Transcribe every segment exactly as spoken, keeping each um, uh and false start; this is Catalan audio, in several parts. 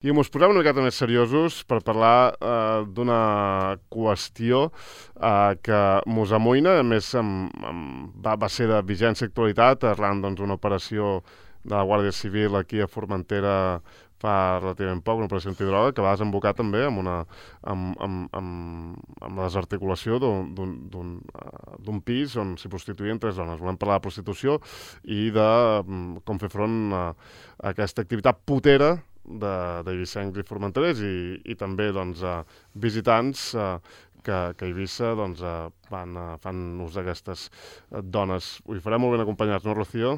I mos posem una miqueta més seriosos per parlar eh, d'una qüestió eh, que mos amoïna, a més amb, amb, va, va ser de vigència i actualitat arran doncs, d'una operació de la Guàrdia Civil aquí a Formentera fa relativament poc, una operació antidroga, que va desembocar també amb, una, amb, amb, amb, amb la desarticulació d'un pis on s'hi prostituïen tres dones. Volem parlar de prostitució i de com fer front a, a aquesta activitat putera d'eivissencs i formenterers i, i també doncs, a visitants eh, que, que a Eivissa doncs, eh, van, eh, fan ús d'aquestes dones. Ho hi farem molt ben acompanyats, no, Rocío?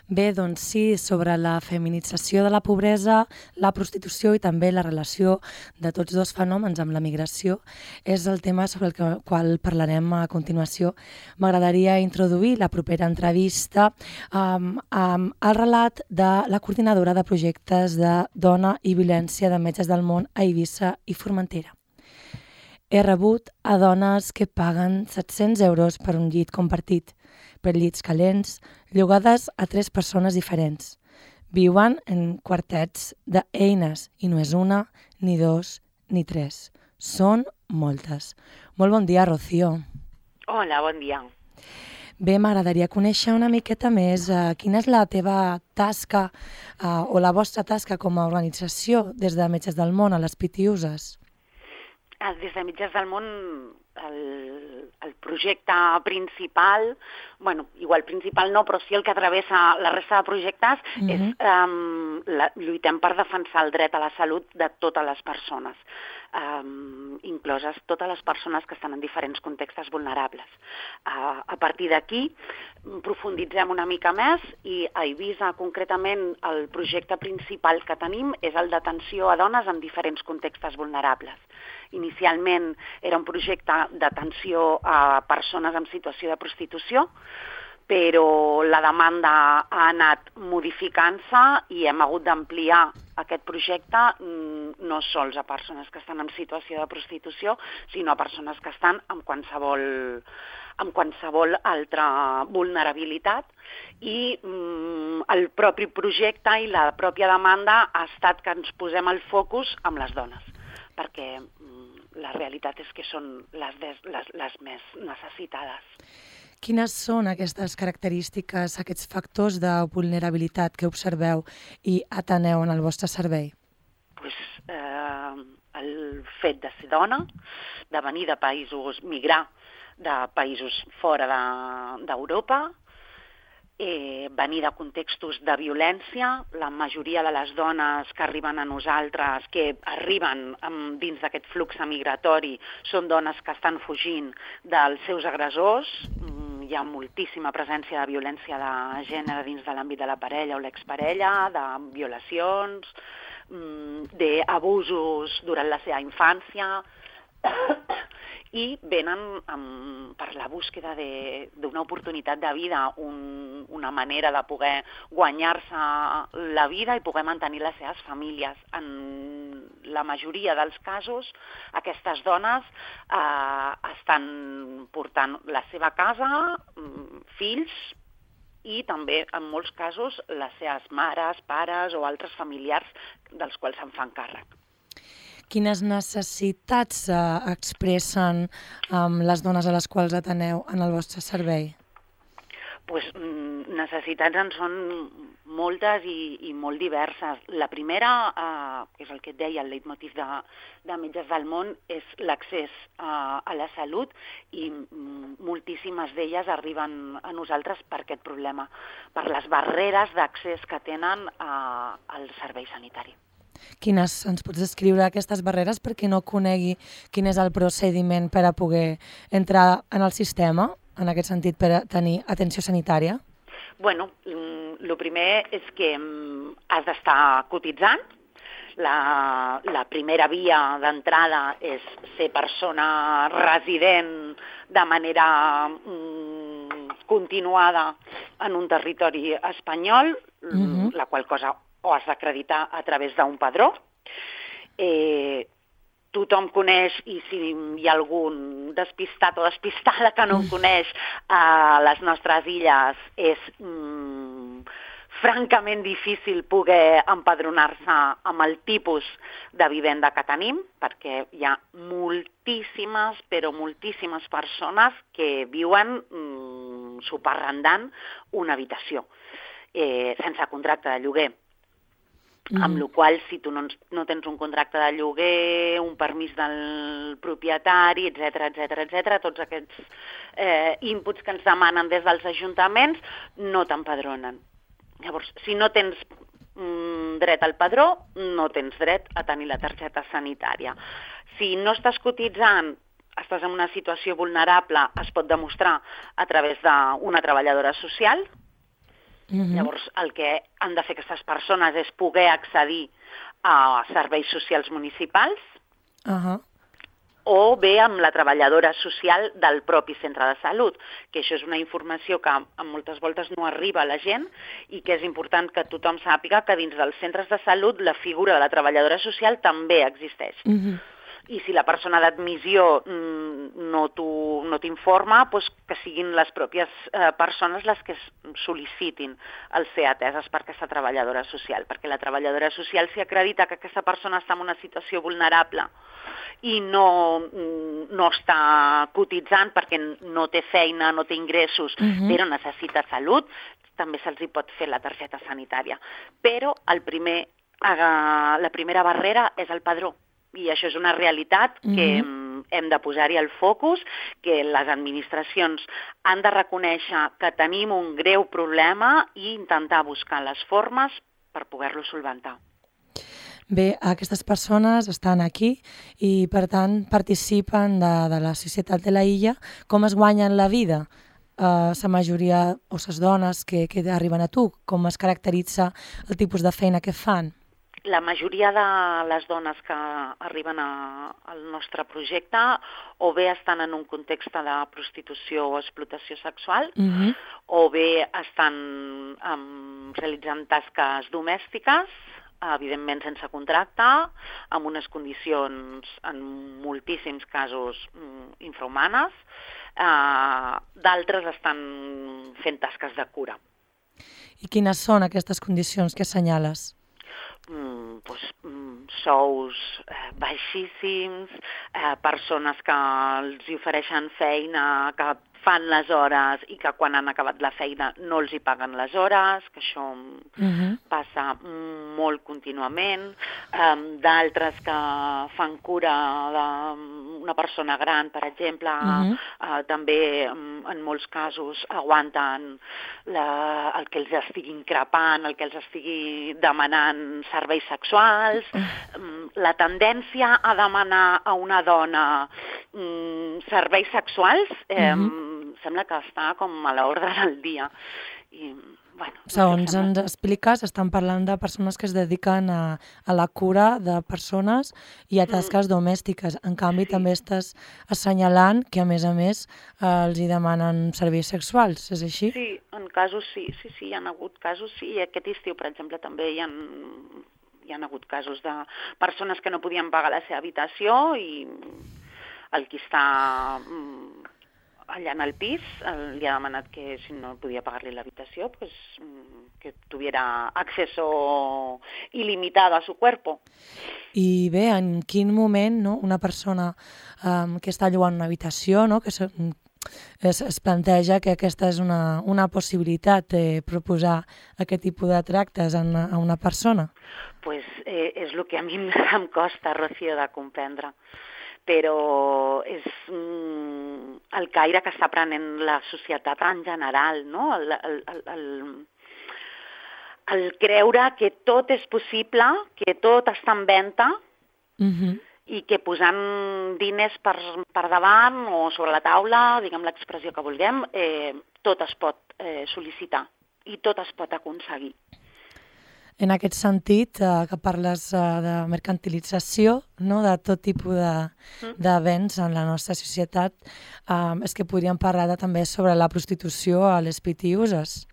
Bé, doncs sí, sobre la feminització de la pobresa, la prostitució i també la relació de tots dos fenòmens amb la migració és el tema sobre el que, qual parlarem a continuació. M'agradaria introduir la propera entrevista um, amb el relat de la coordinadora de projectes de dona i violència de Metges del Món a Eivissa i Formentera. He rebut a dones que paguen set-cents euros per un llit compartit, per llits calents, llogades a tres persones diferents. Viuen en quartets d'eines i no és una, ni dos, ni tres. Són moltes. Molt bon dia, Rocío. Hola, bon dia. Bé, m'agradaria conèixer una miqueta més eh, quina és la teva tasca eh, o la vostra tasca com a organització des de Metges del Món a les Pitiuses. Des de Metges del Món, el, el projecte principal, bueno, igual principal no, però sí el que travessa la resta de projectes, uh-huh. és um, la, lluitem per defensar el dret a la salut de totes les persones, um, incloses totes les persones que estan en diferents contextes vulnerables. Uh, a partir d'aquí, profunditzem una mica més i a Eivissa, concretament, el projecte principal que tenim és el d'atenció a dones en diferents contextes vulnerables. Inicialment era un projecte d'atenció a persones en situació de prostitució, però la demanda ha anat modificant-se i hem hagut d'ampliar aquest projecte no sols a persones que estan en situació de prostitució, sinó a persones que estan en qualsevol, en qualsevol altra vulnerabilitat. I mm, el propi projecte i la pròpia demanda ha estat que ens posem el focus amb les dones, perquè la realitat és que són les, des, les, les més necessitades. Quines són aquestes característiques, aquests factors de vulnerabilitat que observeu i ateneu en el vostre servei? Pues, eh, el fet de ser dona, de venir de països, migrar de països fora d'Europa, de, Eh, venir de contextos de violència. La majoria de les dones que arriben a nosaltres, que arriben um, dins d'aquest flux migratori, són dones que estan fugint dels seus agressors. Mm, hi ha moltíssima presència de violència de gènere dins de l'àmbit de la parella o l'exparella, de violacions, mm, d'abusos durant la seva infància, i venen um, per la búsqueda d'una oportunitat de vida, un, una manera de poder guanyar-se la vida i poder mantenir les seves famílies. En la majoria dels casos, aquestes dones eh, estan portant la seva casa, fills, i també, en molts casos, les seves mares, pares o altres familiars dels quals se'n fan càrrec. Quines necessitats eh, expressen um, les dones a les quals ateneu en el vostre servei? Pues, necessitats en són moltes i, i molt diverses. La primera, eh, que és el que et deia, el leitmotiv de, de Metges del Món, és l'accés eh, a la salut, i moltíssimes d'elles arriben a nosaltres per aquest problema, per les barreres d'accés que tenen eh, al servei sanitari. Quines, ens pots descriure aquestes barreres per qui no conegui quin és el procediment per a poder entrar en el sistema, en aquest sentit, per a tenir atenció sanitària? Bueno, el primer és que has d'estar cotitzant. La, la primera via d'entrada és ser persona resident de manera mm, continuada en un territori espanyol, uh-huh. la qual cosa o has d'acreditar a través d'un padró. Eh, tothom coneix, i si hi ha algun despistat o despistada que no ho coneix, a les nostres illes és mm, francament difícil poder empadronar-se amb el tipus de vivenda que tenim, perquè hi ha moltíssimes, però moltíssimes persones que viuen mm, subarrendant una habitació eh, sense contracte de lloguer. Mm. Amb la qual cosa, si tu no, no tens un contracte de lloguer, un permís del propietari, etcètera, etcètera, etcètera, tots aquests eh, inputs que ens demanen des dels ajuntaments no t'empadronen. Llavors, si no tens mm, dret al padró, no tens dret a tenir la targeta sanitària. Si no estàs cotitzant, estàs en una situació vulnerable, es pot demostrar a través d'una treballadora social. Mm-hmm. Llavors, el que han de fer aquestes persones és poder accedir a serveis socials municipals uh-huh. o bé amb la treballadora social del propi centre de salut, que això és una informació que moltes voltes no arriba a la gent i que és important que tothom sàpiga que dins dels centres de salut la figura de la treballadora social també existeix. Mm-hmm. I si la persona d'admissió no t'informa, doncs que siguin les pròpies eh, persones les que sol·licitin el ser ateses per aquesta treballadora social, perquè la treballadora social, si acredita que aquesta persona està en una situació vulnerable i no, no està cotitzant perquè no té feina, no té ingressos, uh-huh. però necessita salut, també se'ls hi pot fer la targeta sanitària. Però el primer, eh, la primera barrera és el padró. I això és una realitat que mm-hmm. hem de posar-hi el focus, que les administracions han de reconèixer que tenim un greu problema i intentar buscar les formes per poder-lo solventar. Bé, aquestes persones estan aquí i, per tant, participen de, de la societat de la illa. Com es guanyen la vida? Uh, la majoria o les dones que, que arriben a tu, com es caracteritza el tipus de feina que fan? La majoria de les dones que arriben a, al nostre projecte o bé estan en un context de prostitució o explotació sexual, mm-hmm. o bé estan um, realitzant tasques domèstiques, evidentment sense contracte, amb unes condicions en moltíssims casos um, infrahumanes, uh, d'altres estan fent tasques de cura. I quines són aquestes condicions que assenyales? Mm, doncs, mm, sous eh, baixíssims, eh, persones que els ofereixen feina, que fan les hores i que quan han acabat la feina no els hi paguen les hores, que això uh-huh. passa molt contínuament, um, d'altres que fan cura d'una persona gran, per exemple, uh-huh. uh, també um, en molts casos aguanten la, el que els estigui increpant, el que els estigui demanant serveis sexuals, uh-huh. um, la tendència a demanar a una dona um, serveis sexuals eh, uh-huh. sembla que està com a l'ordre del dia. I, bueno, segons no ens expliques, estan parlant de persones que es dediquen a, a la cura de persones i a tasques mm. domèstiques. En canvi, sí. també estàs assenyalant que, a més a més, eh, els hi demanen serveis sexuals, és així? Sí, en casos sí, sí, sí, hi ha hagut casos, sí. I aquest estiu, per exemple, també hi ha, hi ha hagut casos de persones que no podien pagar la seva habitació i el qui està allà en el pis li ha demanat que si no podia pagar-li l'habitació, pues, que tuviera acceso ilimitado a su cuerpo. I bé, en quin moment no, una persona um, que està llogant una habitació, no, que es, es, es planteja que aquesta és una, una possibilitat de proposar aquest tipus de tractes a una, a una persona? Pues eh, és el que a mi em costa, Rocío, de comprendre. Però és mm, el caire que està prenent la societat en general, no? El, el, el, el, el creure que tot és possible, que tot està en venda, uh-huh. i que posant diners per, per davant o sobre la taula, diguem l'expressió que vulguem, eh, tot es pot eh, sol·licitar i tot es pot aconseguir. En aquest sentit, eh, que parles eh, de mercantilització, no? De tot tipus de, de béns en la nostra societat, eh, és que podríem parlar de, també sobre la prostitució a les pitiuses.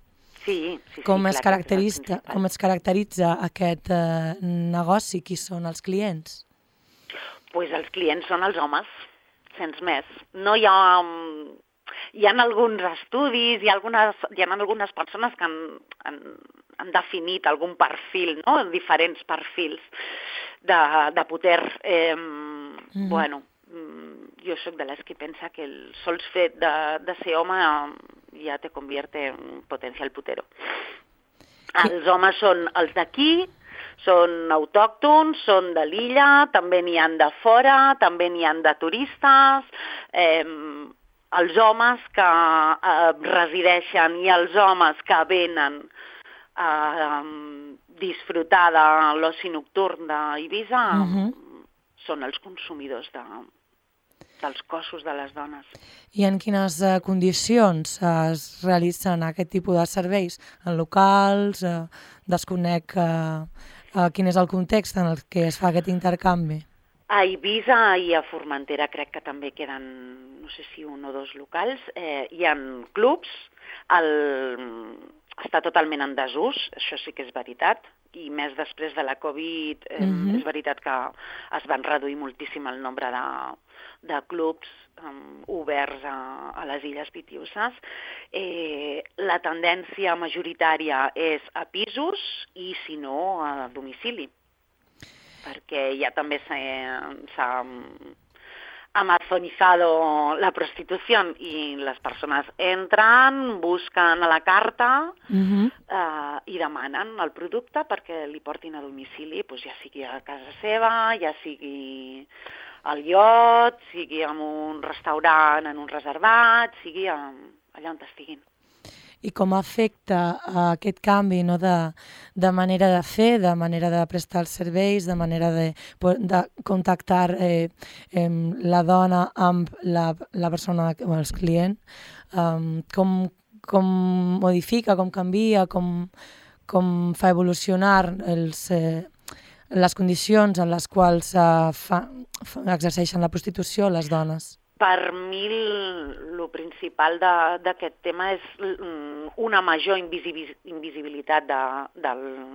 Sí, sí, com sí, es clar, caracteritza, com es caracteritza aquest eh, negoci? Qui són els clients? Pues els clients són els homes, sens més. No hi ha... hi ha alguns estudis, hi ha algunes, hi ha algunes persones que han, han, han definit algun perfil, no? Diferents perfils de, de poder. Eh, mm-hmm. Bueno, jo sóc de les que pensa que el sols fet de, de ser home ja te convierte en potencial putero. Els homes són els d'aquí, són autòctons, són de l'illa, també n'hi han de fora, també n'hi han de turistes. Eh, els homes que eh, resideixen i els homes que venen a eh, disfrutar de l'oci nocturn d'Eivissa uh-huh. són els consumidors de, dels cossos de les dones. I en quines uh, condicions uh, es realitzen aquest tipus de serveis? En locals? Uh, desconec uh, uh, quin és el context en el que es fa aquest intercanvi? A Eivissa i a Formentera crec que també queden, no sé si un o dos locals. Eh, hi ha clubs, el... està totalment en desús, això sí que és veritat, i més després de la Covid eh, mm-hmm. és veritat que es van reduir moltíssim el nombre de, de clubs um, oberts a, a les Illes Pitiüses. Eh, la tendència majoritària és a pisos i, si no, a domicili, perquè ja també s'ha amazonizado la prostitución y las personas entran, busquen a la carta uh-huh. eh, i demanen el producte perquè li portin a domicili, doncs ja sigui a casa seva, ja sigui al iot, sigui en un restaurant, en un reservat, sigui a, allà on estiguin. I com afecta uh, aquest canvi, no, de, de manera de fer, de manera de prestar els serveis, de manera de, de contactar eh, eh, la dona amb la, la persona o el client, um, com, com modifica, com canvia, com, com fa evolucionar els, eh, les condicions en les quals uh, fa, fa, exerceixen la prostitució les dones? Per mi el principal d'aquest tema és una major invisibilitat de, de,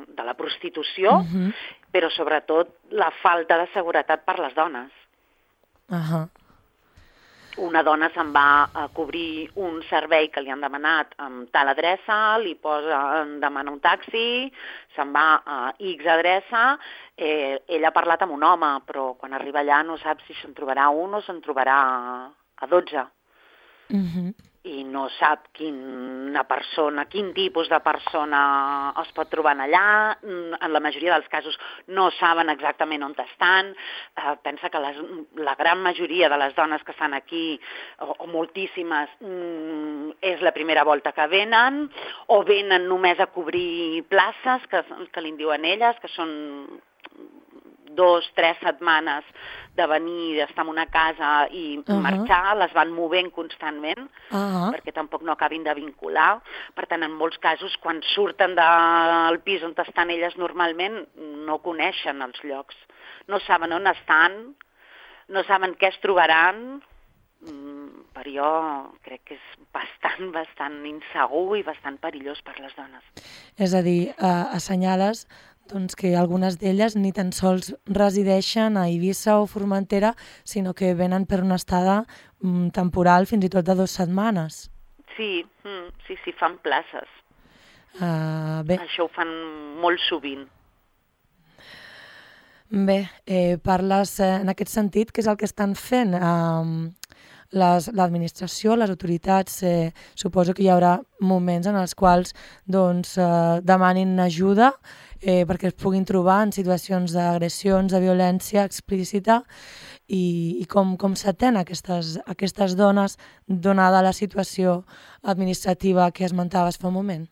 de la prostitució, uh-huh. però sobretot la falta de seguretat per les dones. Uh-huh. Una dona se'n va a cobrir un servei que li han demanat amb tal adreça, li posa, demana un taxi, se'n va a X adreça, eh, ella ha parlat amb un home, però quan arriba allà no sap si se'n trobarà un o se'n trobarà a dotze. Uh-huh. I no sap quina persona, quin tipus de persona es pot trobar allà. En la majoria dels casos no saben exactament on estan. Eh, pensa que les, la gran majoria de les dones que estan aquí, o, o moltíssimes, mm, és la primera volta que venen, o venen només a cobrir places, que, que li diuen elles, que són dos, tres setmanes de venir, d'estar en una casa i uh-huh. marxar, les van movent constantment, uh-huh. perquè tampoc no acabin de vincular. Per tant, en molts casos, quan surten del pis on estan elles normalment, no coneixen els llocs. No saben on estan, no saben què es trobaran. Mm, per jo crec que és bastant, bastant insegur i bastant perillós per les dones. És a dir, uh, assenyales doncs que algunes d'elles ni tan sols resideixen a Eivissa o Formentera, sinó que venen per una estada mm, temporal fins i tot de dues setmanes. Sí, mm, sí, sí, fan places. Uh, bé. Això ho fan molt sovint. Bé, eh, parles eh, en aquest sentit, què és el que estan fent? Uh, les, l'administració, les autoritats, eh, suposo que hi haurà moments en els quals doncs, eh, demanin ajuda eh, perquè es puguin trobar en situacions d'agressions, de violència explícita i, i com, com s'atén aquestes, aquestes dones donada la situació administrativa que esmentaves fa un moment?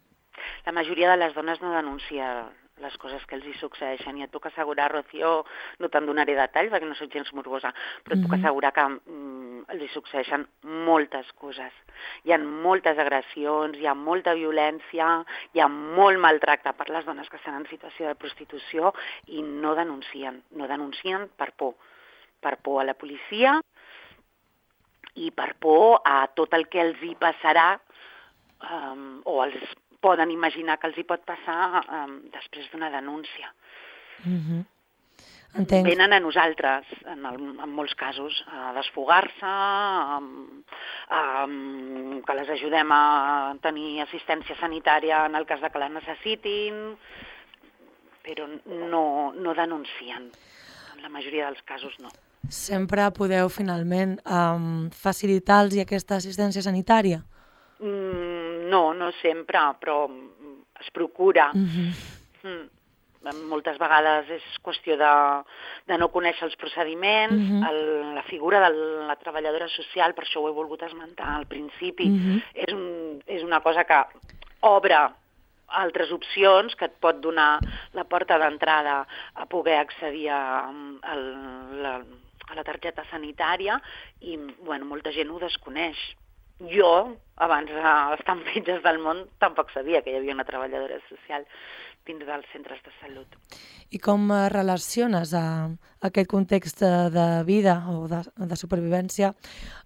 La majoria de les dones no denuncia les coses que els hi succeeixen. I et puc assegurar, Rocío, no te'n donaré detalls perquè no soc gens morbosa, però et puc assegurar que mm, els hi succeeixen moltes coses. Hi ha moltes agressions, hi ha molta violència, hi ha molt maltracte per les dones que estan en situació de prostitució i no denuncien. No denuncien per por. Per por a la policia i per por a tot el que els hi passarà um, o els poden imaginar que els hi pot passar um, després d'una denúncia. Mm-hmm. Entenc. Venen a nosaltres, en, el, en molts casos, a desfogar-se, a, um, que les ajudem a tenir assistència sanitària en el cas de que la necessitin, però no, no denuncien. En la majoria dels casos no. Sempre podeu finalment um, facilitar-los aquesta assistència sanitària? Mm, no, no sempre, però es procura. Mm-hmm. Mm. Moltes vegades és qüestió de, de no conèixer els procediments, mm-hmm. el, la figura de la treballadora social, per això ho he volgut esmentar al principi, mm-hmm. és, un, és una cosa que obre altres opcions, que et pot donar la porta d'entrada a poder accedir a, a, la, a la targeta sanitària i bueno, molta gent ho desconeix. Jo, abans d'estar en Metges del Món, tampoc sabia que hi havia una treballadora social dins dels centres de salut. I com relaciones a aquest context de vida o de, de supervivència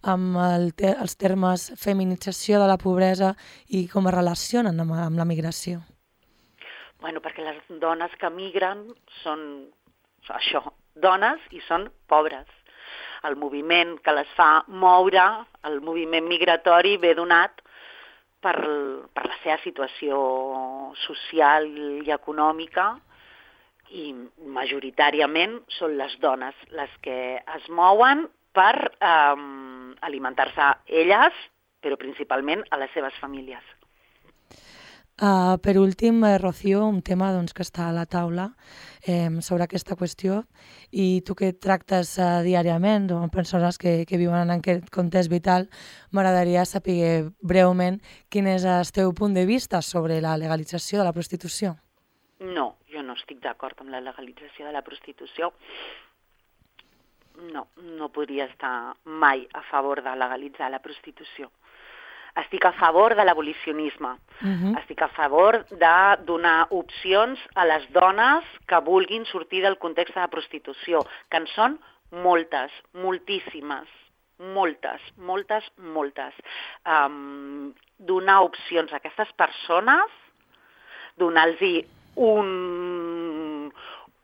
amb el te, els termes feminització de la pobresa i com es relacionen amb, amb la migració? Bueno, perquè les dones que migren són això, dones i són pobres. El moviment que les fa moure, el moviment migratori, ve donat per, per la seva situació social i econòmica i majoritàriament són les dones les que es mouen per eh, alimentar-se elles, però principalment a les seves famílies. Uh, per últim, eh, Rocío, un tema doncs, que està a la taula eh, sobre aquesta qüestió i tu que tractes uh, diàriament amb persones que, que viuen en aquest context vital, m'agradaria saber breument quin és el teu punt de vista sobre la legalització de la prostitució. No, jo no estic d'acord amb la legalització de la prostitució. No, no podria estar mai a favor de legalitzar la prostitució. Estic a favor de l'abolicionisme, uh-huh. estic a favor de donar opcions a les dones que vulguin sortir del context de la prostitució, que en són moltes, moltíssimes, moltes, moltes, moltes. Um, donar opcions a aquestes persones, donar-los un...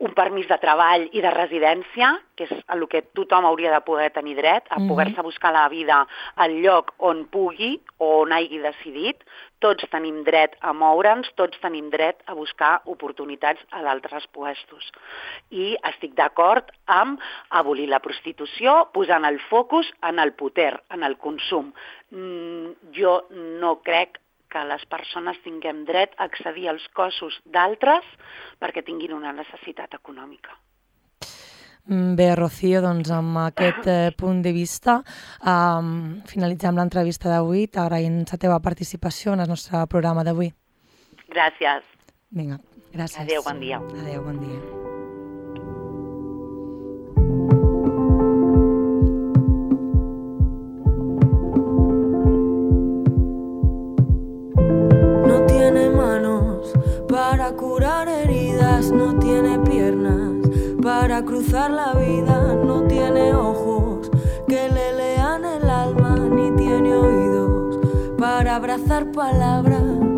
un permís de treball i de residència, que és el que tothom hauria de poder tenir dret, a poder-se buscar la vida al lloc on pugui o on hagi decidit. Tots tenim dret a moure'ns, tots tenim dret a buscar oportunitats a d'altres puestos. I estic d'acord amb abolir la prostitució, posant el focus en el poder, en el consum. Mm, jo no crec que les persones tinguem dret a accedir als cossos d'altres perquè tinguin una necessitat econòmica. Bé, Rocío, doncs amb aquest eh, punt de vista um, finalitzem l'entrevista d'avui. T'agraïm la teva participació en el nostre programa d'avui. Gràcies. Vinga, gràcies. Adéu, bon dia. Adéu, bon dia. Para curar heridas, no tiene piernas, para cruzar la vida, no tiene ojos que le lean el alma, ni tiene oídos para abrazar palabras.